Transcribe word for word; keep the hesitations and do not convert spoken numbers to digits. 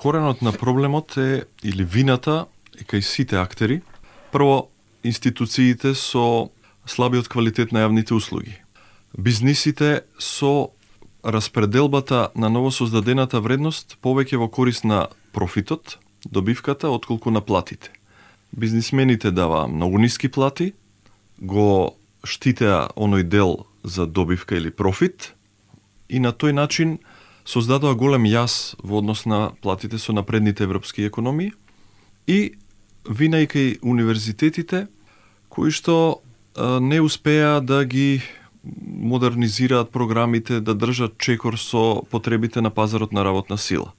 коренот на проблемот е, или вината, е кај сите актери. Прво, институциите со слабиот квалитет на јавните услуги. Бизнисите со распределбата на новосоздадената вредност повеќе во корист на профитот, добивката, отколку на платите. Бизнисмените дава многу ниски плати, го штитеа оној дел за добивка или профит и на тој начин создадоа голем јас во однос на платите со напредните европски економии и вина и кај универзитетите кои што а, не успеа да ги модернизираат програмите, да држат чекор со потребите на пазарот на работна сила.